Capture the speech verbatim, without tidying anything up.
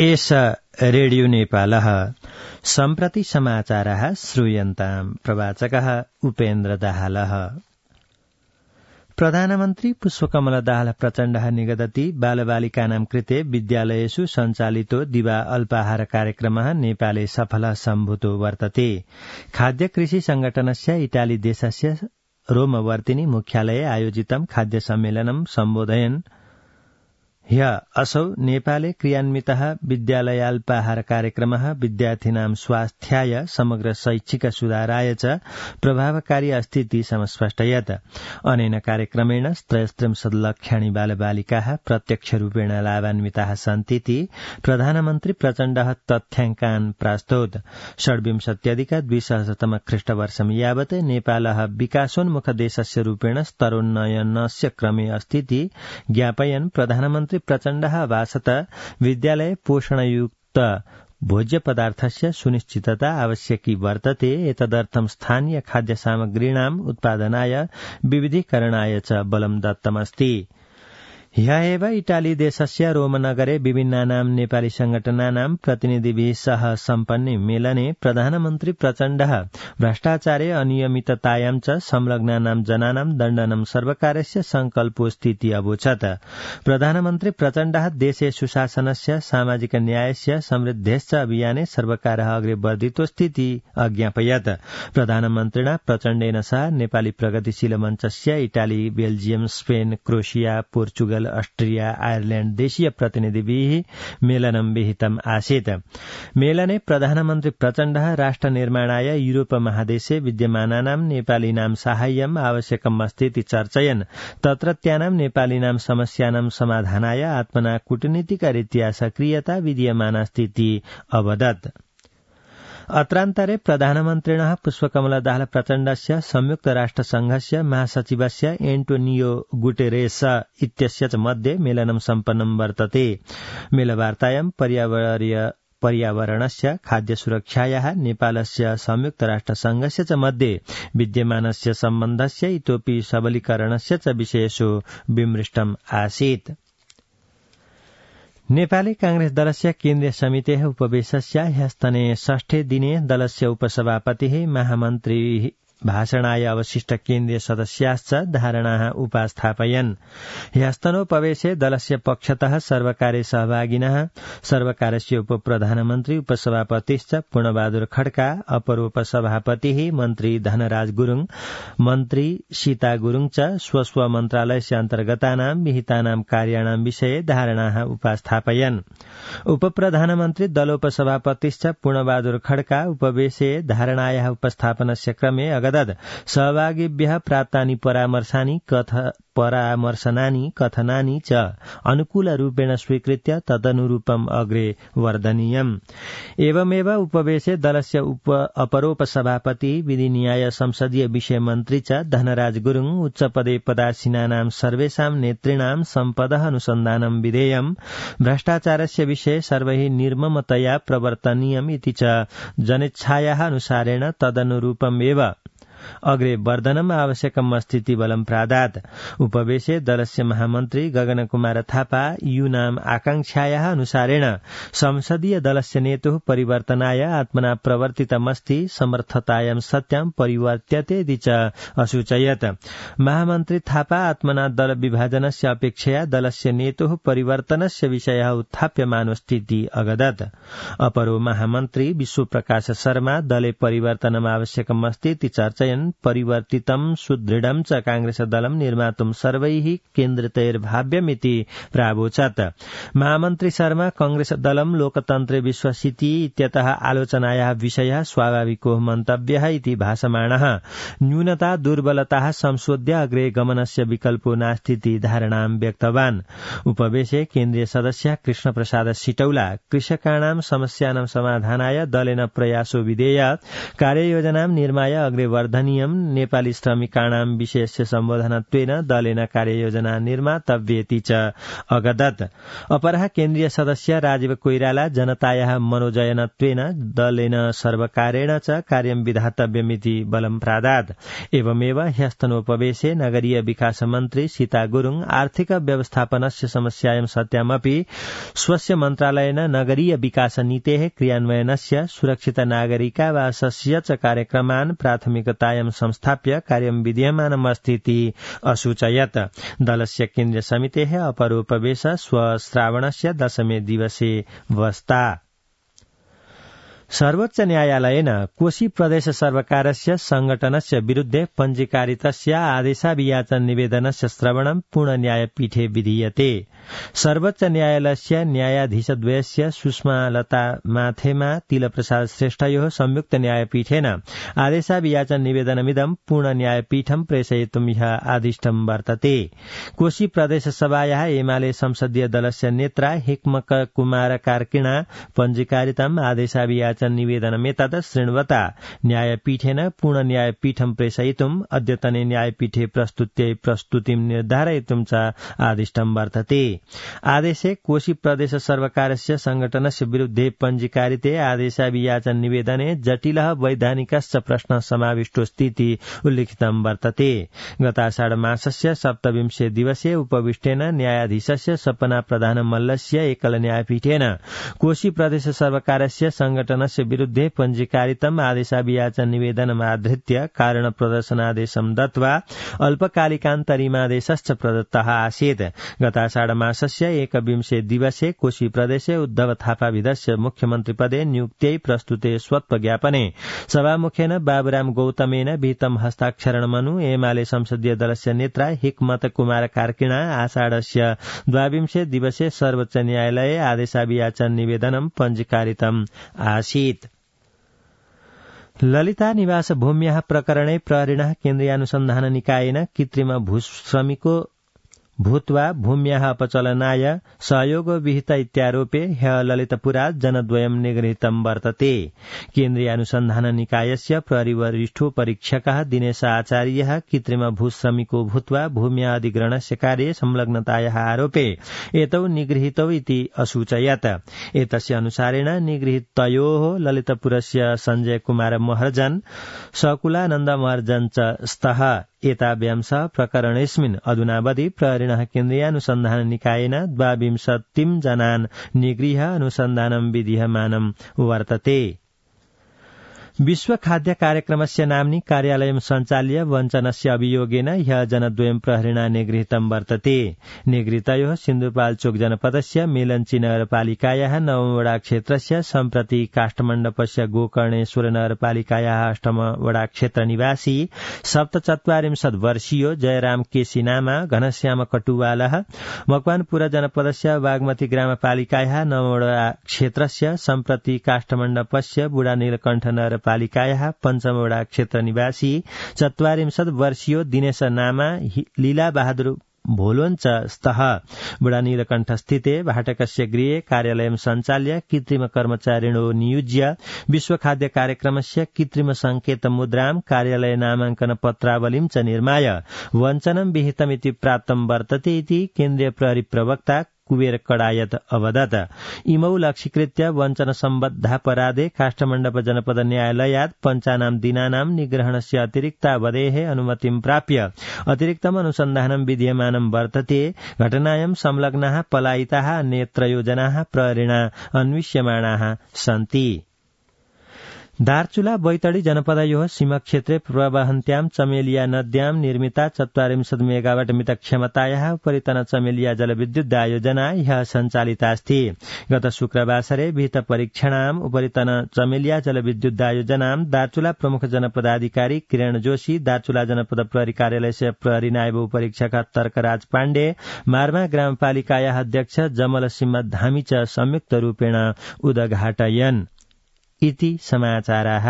एष रेडियो नेपालः सम्प्रति समाचारः श्रूयन्ताम् प्रवाचकः उपेन्द्र दाहालः। प्रधानमन्त्री पुष्पकमल दाहाल प्रचण्डः निगदति बालबालिकानां कृते विद्यालयेषु सञ्चालितो दिवा अल्पाहार कार्यक्रमः नेपाले सफलः सम्भूतो वर्तते। खाद्य कृषि संगठनस्य इटाली देशस्य रोमवर्तिनी मुख्यालये आयोजितं खाद्य सम्मेलनं सम्बोधयन् ह्य असौ नेपाले क्रियान्वितः विद्यालयाल्पाहार कार्यक्रमः विद्यार्थीनां स्वास्थ्याय समग्र शैक्षिक सुधाराय च प्रभावकारी अस्ति समस्पष्टयत्। अनेन कार्यक्रमेण त्रयस्त्रिंशत् लक्षाणि बालबालिकाः प्रत्यक्षरूपेण लाभान्विताः सन्तीति प्रधानमन्त्री प्रचण्डः तथ्याङ्कान् प्रास्तोत्। षड्विंशत्यधिक द्विसहस्रतम ख्रीष्टवर्षं यावत् नेपालः विकासोन्मुख देशस्य रूपेण स्तरोन्नयनस्य क्रमे अस्तीति ज्ञापयन् प्रधानमन्त्री प्रचण्डः वासत विद्यालये पोषणयुक्त भोज्य पदार्थस्य सुनिश्चितता आवश्यकी वर्तते। एतदर्थं स्थानीय खाद्य सामग्रीणाम् उत्पादनाय विविधीकरणाय च बलं दत्तमस्ति। ह्यः एव इटाली देशस्य रोमनगरे विभिन्नानां नेपाली संगठनानां प्रतिनिधिभिः सह सम्पन्ने मेलने प्रधानमन्त्री प्रचण्डः भ्रष्टाचारे अनियमिततायां च संलग्नानां जनानां दण्डनं सर्वकारस्य संकल्पोऽस्तीति अवोचत्। प्रधानमन्त्री प्रचण्डः देशे सुशासनस्य सामाजिक न्यायस्य समृद्धेश्च अभियाने सर्वकारः अग्रे वर्धितोऽस्तीति अज्ञापयत्। प्रधानमन्त्रिणा प्रचण्डेन सह नेपाली प्रगतिशील मञ्चस्य Italy, Belgium, Spain, Croatia, Portugal, Austria, Ireland देशीय प्रतिनिधिभिः मेलनं विहितम् आसीत्। मेलने प्रधानमन्त्री प्रचण्डः राष्ट्र निर्माणाय यूरोप महादेशे विद्यमानानां नेपालीनां साहाय्यम् आवश्यकम् अस्तीति चर्चयन् तत्रत्यानां नेपालीनां समस्यानां समाधानाय आत्मना कूटनीतिकरीत्या सक्रियता विद्यमानास्तीति अवदत्। अत्रान्तरे प्रधानमन्त्रिणः पुष्पकमल दाहाल प्रचण्डस्य संयुक्त राष्ट्र संघस्य महासचिवस्य एन्टोनियो गुटेरेस इत्यस्य च मध्ये मेलनं सम्पन्नं वर्तते। मेलवार्तायां पर्यावरणीय पर्यावरणस्य खाद्य सुरक्षायाः नेपालस्य संयुक्त राष्ट्र संघस्य च मध्ये विद्यमानस्य सम्बन्धस्य इतोपि सबलीकरणस्य च विषयेषु विमृष्टम् आसीत्। नेपाली कांग्रेस दलस्य केन्द्रीय समितेः उपवेशस्य ह्यस्तने षष्ठे दिने दलस्य उपसभापतिः महामन्त्री भाषणाय अवशिष्ट केन्द्रीय सदस्याश्च धारणाः उपास्थापयन्। ह्यस्तनोपवेशे दलस्य पक्षतः सर्वकारे सहभागिनः सर्वकारस्य उपप्रधानमन्त्री उपसभापतिश्च पूर्णबहादुर खड्का, अपरोपसभापतिः मन्त्री धनराज गुरुङ, मन्त्री सीता गुरुङ च स्वस्व मन्त्रालयस्य अन्तर्गतानां विहितानां कार्याणां विषये धारणाः उपास्थापयन्। उपप्रधानमन्त्री दलोपसभापतिश्च पूर्णबहादुर खड्का उपवेशे धारणायाः उपस्थापनस्य क्रमे अगदत् सहभागिभ्यः प्राप्तानि परामर्शानि कथ परामर्शनानि कथनानि च अनुकूलरूपेण स्वीकृत्य तदनुरूपम् अग्रे वर्धनीयम्। एवमेव उपवेशे दलस्य उप अपरोपसभापति विधि न्याय संसदीय विषय मन्त्री च धनराज गुरुङ उच्चपदे पदासीनानां सर्वेषां नेतृणां सम्पदः अनुसन्धानं विधेयम् भ्रष्टाचारस्य विषये सर्वैः निर्ममतया प्रवर्तनीयम् इति च जनेच्छायाः अनुसारेण तदनुरूपमेव अग्रे वर्धनम् आवश्यकम् अस्तीति बलं प्रादात्। उपवेशे दलस्य महामन्त्री गगन कुमार थापा यूनाम् आकांक्षायाः अनुसारेण संसदीय दलस्य नेतुः परिवर्तनाय आत्मना प्रवर्तितमस्ति समर्थतायां सत्यां परिवर्त्यते च असूचयत्। महामन्त्री थापा आत्मना दल विभाजनस्य अपेक्षया दलस्य नेतुः परिवर्तनस्य विषयः उत्थाप्यमानोऽस्तीति अगदत्। अपरो महामन्त्री विश्वप्रकाश शर्मा दले परिवर्तनम् आवश्यकम् अस्तीति चर्चयन् परिवर्तितं सुदृढं च कांग्रेस दलं निर्मातुं सर्वैः केन्द्रितैर्भाव्यमिति प्रावोचत्। महामन्त्री शर्मा कांग्रेस दलं लोकतन्त्रे विश्वसिति इत्यतः आलोचनायाः विषयः स्वाभाविको मन्तव्यः इति भासमाणः न्यूनता दुर्बलताः संशोध्य अग्रे गमनस्य विकल्पो नास्तीति धारणां व्यक्तवान्। उपवेशे केन्द्रीय सदस्य कृष्ण प्रसाद सिटौला कृषकाणां समस्यानां समाधानाय दलेन प्रयासो विधेय कार्ययोजनां निर्माय अग्रे वर्धन महनीयं नेपाली श्रमिकाणां विशेष्य सम्बोधनत्वेन दलेन कार्ययोजना निर्मातव्येति च अगदत्। अपरः केन्द्रीय सदस्य राजीव कोइराला जनतायाः मनोजयनत्वेन दलेन सर्वकारेण च कार्यं विधातव्यमिति बलं प्रादात्। एवमेव ह्यस्तनोपवेशे नगरीय विकास मन्त्री सीता गुरुङ आर्थिक व्यवस्थापनस्य समस्यायां सत्यामपि स्वस्य मन्त्रालयेन नगरीय विकास नीतेः क्रियान्वयनस्य सुरक्षित नागरिकावासस्य च कार्यक्रमान् प्राथमिकतायां संस्थाप्य कार्यं विधीयमानमस्तीति असूचयत्। दलस्य केन्द्रीय समितेः अपरोपवेश श्रावणस्य दशमे दिवसे वस्ता। सर्वोच्च न्यायालयेन कोशी प्रदेश सर्वकारस्य संघटनस्य विरुद्धे पञ्जीकारितस्य आदेशाभियाचन निवेदनस्य श्रवणं पूर्ण न्यायपीठे विधीयते। सर्वोच्च न्यायालयस्य न्यायाधीशद्वयस्य सुषमालता माथेमा तिलप्रसाद श्रेष्ठयोः संयुक्त न्यायपीठेन आदेशाभियाचन निवेदनमिदं पूर्ण न्यायपीठं प्रेषयितुं ह्यः आदिष्टं वर्तते। कोशी प्रदेश सभायाः एमाले संसदीय दलस्य नेत्रा हिक्मक कुमार कार्किणा पञ्जीकारितम् आदेशाभियाचन निवेदनमेतद् शृण्वता न्यायपीठेन पूर्ण न्यायपीठं प्रेषयितुम् अद्यतने न्यायपीठे प्रस्तुत्यै प्रस्तुतिं निर्धारयितुं च आदिष्टं वर्तते। आदेशे कोशी प्रदेश सर्वकारस्य संघटनस्य विरुद्धे पञ्जीकारिते आदेशाभियाचन निवेदने जटिलः वैधानिकश्च प्रश्नः समाविष्टोऽस्तीति उल्लिखितं वर्तते। गताषाढ मासस्य सप्तविंशे दिवसे उपविष्टेन न्यायाधीशस्य सपना प्रधान मल्लस्य एकल न्यायपीठेन कोशी प्रदेश सर्वकारस्य संघटनस्य विरुद्धे पञ्जीकारितम् आदेशाभियाचन निवेदनमाधृत्य कारण प्रदर्शनादेशं दत्त्वा अल्पकालिकान्तरिमादेशश्च प्रदत्तः आसीत्। गताषाढ मासस्य एकविंशे दिवसे कोशी प्रदेशे उद्धव थापाविधस्य मुख्यमन्त्रिपदे नियुक्त्यै प्रस्तुते स्वत्वज्ञापने सभामुखेन बाबुराम गौतमेन विहितं हस्ताक्षरणमनु एमाले संसदीय दलस्य नेत्रा हिक्मत कुमार कार्किणा आषाढस्य द्वाविंशे दिवसे सर्वोच्च न्यायालये आदेशाभियाचन निवेदनं पञ्जीकारितम् आसीत्। ललिता निवास भूम्याः प्रकरणे प्रहरिणः केन्द्रीयानुसन्धान निकायेन कृत्रिम भूश्रमिको भूत्वा भूम्याः अपचलनाय सहयोग विहित इत्यारोपे ह्यः ललितपुरात् जनद्वयं निगृहीतं वर्तते। केन्द्रीय अनुसन्धान निकायस्य प्रहरीवरिष्ठो परीक्षकः दिनेश आचार्यः कृत्रिम भूश्रमिको भूत्वा भूम्याः अधिग्रहणस्य कार्ये संलग्नतायाः आरोपे एतौ निगृहीतौ इति असूचयत्। एतस्य अनुसारेण निगृहीतयोः ललितपुरस्य संजय कुमार महर्जन सकुलानन्द महर्जन च स्तः। एताभ्यां सह प्रकरणेऽस्मिन् अधुनावधि प्रहरिणः केन्द्रीयानुसन्धान निकायेन द्वाविंशतिं जनान् निगृह्य अनुसन्धानं विधीयमानं वर्तते। विश्व खाद्य कार्यक्रमस्य नाम्नि कार्यालयं सञ्चाल्य वञ्चनस्य अभियोगेन ह्यः जनद्वयं प्रहरिणा निगृहीतं वर्तते। निगृहीतयोः सिन्धुपाल्चोक जनपदस्य मेलञ्ची नगरपालिकायाः नवमवडा क्षेत्रस्य सम्प्रति काष्ठमण्डपस्य गोकर्णेश्वर नगरपालिकायाः अष्टमवडा क्षेत्र निवासी सप्तचत्वारिंशत् वर्षीयो जयराम केसी नामा घनश्याम कटुवालः मकवानपुर जनपदस्य बागमती ग्रामपालिकायाः नवमवडा क्षेत्रस्य सम्प्रति काष्ठमण्डपस्य बुढा नीलकण्ठ नगर पालिकायाः पञ्चमवडा क्षेत्र निवासी चत्वारिंशत् वर्षीयो दिनेश नामा लीला बहादुर भोलोञ्च स्तः। बुढा नीलकण्ठ स्थिते भाटकस्य गृहे कार्यालयं सञ्चाल्य कृत्रिम कर्मचारिणो नियुज्य विश्व खाद्य कार्यक्रमस्य कृत्रिम संकेत मुद्रां कार्यालय नामाङ्कन पत्रावलीं च निर्माय वञ्चनं विहितमिति प्राप्तं वर्तते इति केन्द्रीय प्रहरी प्रवक्ता कुबेर कडायत अवदत्। इमौ लक्ष्यीकृत्य वञ्चन सम्बद्धापराधे काष्ठमण्डप जनपद न्यायालयात् पञ्चानां दिनानां निग्रहणस्य अतिरिक्तावधेः अनुमतिं प्राप्य अतिरिक्तम् अनुसन्धानं विधीयमानं वर्तते। घटनायां संलग्नाः पलायिताः अन्ये त्रयो जनाः प्रहरिणा अन्विष्यमाणाः सन्ति। दार्चुला बैतडी जनपदयोः सीमाक्षेत्रे प्रवहन्त्यां चमेलिया नद्यां निर्मिता चत्वारिंशत् मेगावाट मित क्षमतायाः उपरितन चमेलिया जलविद्युत आयोजना ह्यः सञ्चालितास्ति। गत शुक्रवासरे विहित परीक्षणाम् उपरितन चमेलिया जलविद्युत आयोजनां दार्चुला प्रमुख जनपदाधिकारी किरण जोशी, दार्चुला जनपद प्रहरी कार्यालयस्य प्रहरी नायब उपरीक्षक तर्कराज पाण्डे, मार्मा ग्रामपालिकायाः अध्यक्ष जमल सिंह धामी च संयुक्त रूपेण उद्घाटयन् इति समाचाराः।